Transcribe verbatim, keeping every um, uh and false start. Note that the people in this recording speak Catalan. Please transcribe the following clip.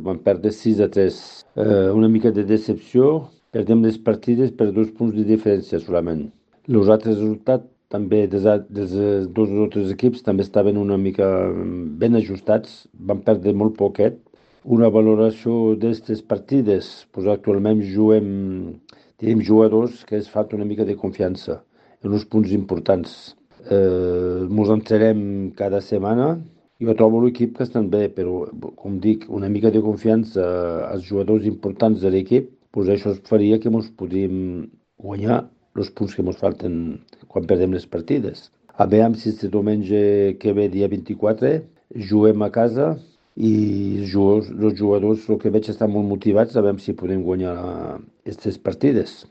vam perdre sis a tres. Eh, una mica de decepció, perdem les partides per dos punts de diferència solament. Els altres resultats també dels, a- dels eh, dos altres equips també estaven una mica mm, ben ajustats, van perdre molt poquet. Una valoració d'aquestes partides, doncs actualment juguem, tenim jugadors que es falta una mica de confiança en uns punts importants. Eh, mos entrarem cada setmana. Jo trobo l'equip que estan bé, però, com dic, una mica de confiança als jugadors importants de l'equip, doncs això faria que ens podríem guanyar els punts que ens falten quan perdem les partides. A veure si este diumenge que ve, dia vint-i-quatre, juguem a casa i els jugadors, els jugadors, el que veig, estan molt motivats a veure si podem guanyar aquestes partides.